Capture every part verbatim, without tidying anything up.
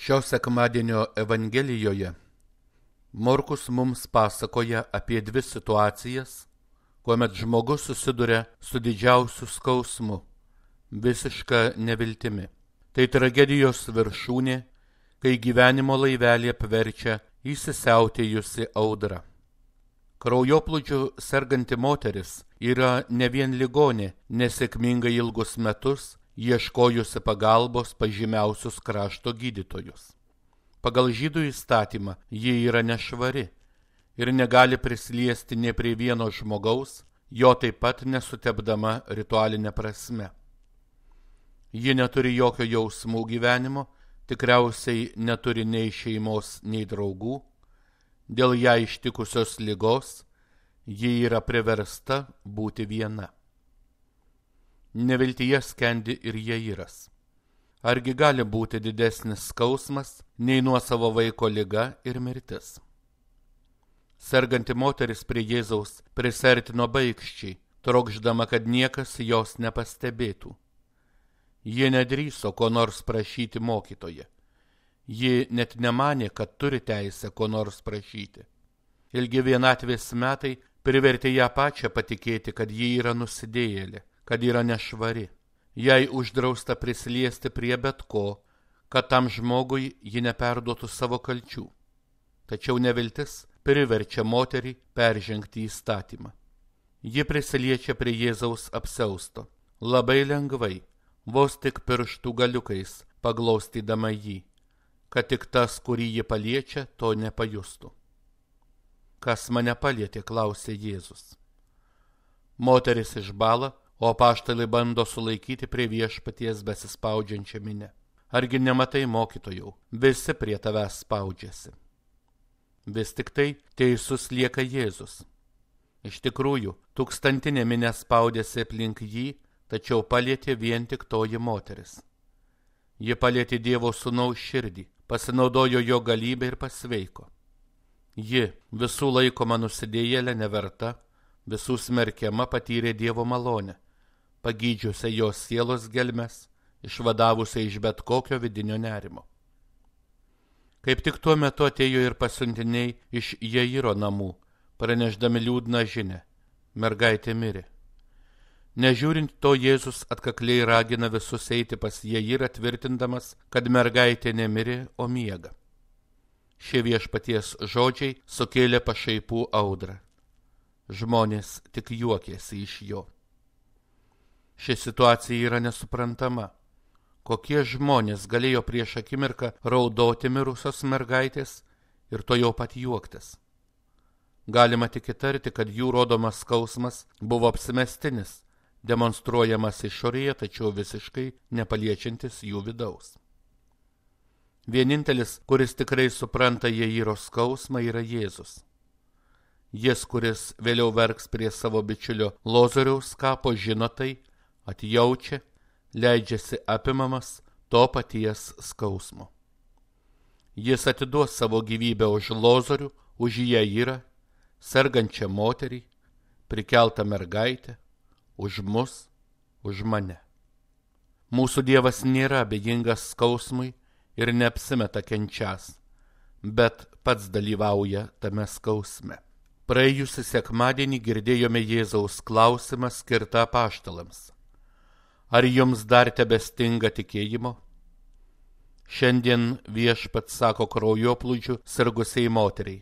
Šio sekmadienio Evangelijoje Morkus mums pasakoja apie dvi situacijas, kuomet žmogus susiduria su didžiausiu skausmu, visiška neviltimi. Tai tragedijos viršūnė, kai gyvenimo laivelį apverčia įsisiautėjusi audra. Kraujoplūdžiu serganti moteris yra ne vien ligonė, nesėkmingai ilgus metus ieškojusi pagalbos pas žymiausius krašto gydytojus. Pagal žydų įstatymą ji yra nešvari ir negali prisiliesti nė prie vieno žmogaus, jo taip pat nesutepdama ritualinė prasme. Ji neturi jokio jausmų gyvenimo, tikriausiai neturi nei šeimos, nei draugų. Dėl ją ištikusios ligos ji yra priversta būti viena. Neviltyje skendi ir Jairas. Argi gali būti didesnis skausmas nei nuosavo vaiko liga ir mirtis? Serganti moteris prie Jėzaus prisertino baikščiai, trokšdama, kad niekas jos nepastebėtų. Ji nedrįso ko nors prašyti mokytoje. Ji net nemanė, kad turi teisę ko nors prašyti. Ilgi vienatvės metai privertė ją pačią patikėti, kad ji yra nusidėjėlė, kad yra nešvari. Jai uždrausta prisiliesti prie bet ko, kad tam žmogui ji neperduotų savo kalčių. Tačiau neviltis priverčia moterį peržengti įstatymą. Ji prisiliečia prie Jėzaus apsiausto, labai lengvai, vos tik pirštų galiukais paglaustydama jį, kad tik tas, kurį ji paliečia, to nepajustų. Kas mane palietė, klausė Jėzus. Moteris išbąla, o apaštalai bando sulaikyti prie viešpaties besispaudžiančią minią. Argi nematai, mokytojau, visi prie tavęs spaudžiasi. Vis tik tai teisus lieka Jėzus. Iš tikrųjų, tūkstantinė minia spaudėsi aplink jį, tačiau palietė vien tik toji moteris. Ji palietė Dievo sūnaus širdį, pasinaudojo jo galybę ir pasveiko. Ji, visų laikoma nusidėjėlė neverta, visų smerkiama, patyrė Dievo malonę, pagydžiusią jos sielos gelmes, išvadavusią iš bet kokio vidinio nerimo. Kaip tik tuo metu atėjo ir pasiuntiniai iš Jairo namų, pranešdami liūdną žinią: mergaitė mirė. Nežiūrint to, Jėzus atkakliai ragina visus eiti pas Jairą, tvirtindamas, kad mergaitė nemirė, o miega. Šie viešpaties žodžiai sukėlė pašaipų audrą. Žmonės tik juokėsi iš jo. Ši situacija yra nesuprantama. Kokie žmonės galėjo prieš akimirką raudoti mirusios mergaitės ir to jau pat juoktis? Galima tik įtarti, kad jų rodomas skausmas buvo apsimestinis, demonstruojamas išorėje, tačiau visiškai nepaliečiantis jų vidaus. Vienintelis, kuris tikrai supranta Jairo skausmą, yra Jėzus. Jis, kuris vėliau verks prie savo bičiulio Lozoriaus kapo, žino tai, atjaučia, leidžiasi apimamas to paties skausmo. Jis atiduos savo gyvybę už Lozorių, už Jairą, sergančią moterį, prikeltą mergaitę, už mus, už mane. Mūsų Dievas nėra abejingas skausmui ir neapsimeta kenčias, bet pats dalyvauja tame skausme. Praėjusį sekmadienį girdėjome Jėzaus klausimą skirtą apaštalams: ar jums dar tebestinga tikėjimo? Šiandien Viešpats sako kraujoplūdžiu sirgusiai moteriai: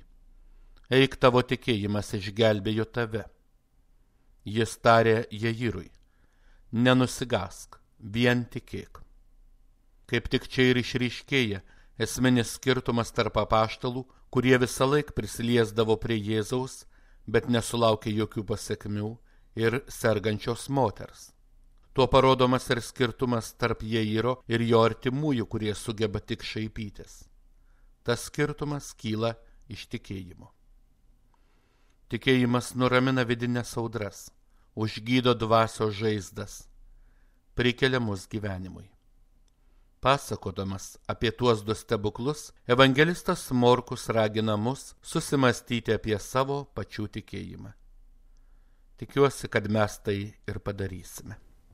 eik, tavo tikėjimas išgelbėjo tave. Jis tarė Jairui: nenusigask, vien tikėk. Kaip tik čia ir išryškėja esminis skirtumas tarp apaštalų, kurie visą laik prisiliesdavo prie Jėzaus, bet nesulaukė jokių pasekmių, ir sergančios moters. Tuo parodomas ir skirtumas tarp Jairo ir jo artimųjų, kurie sugeba tik šaipytis. Tas skirtumas kyla iš tikėjimo. Tikėjimas nuramina vidinės audras, užgydo dvasios žaizdas, prikelia mus gyvenimui. Pasakodamas apie tuos du stebuklus, evangelistas Morkus ragina mus susimastyti apie savo pačių tikėjimą. Tikiuosi, kad mes tai ir padarysime.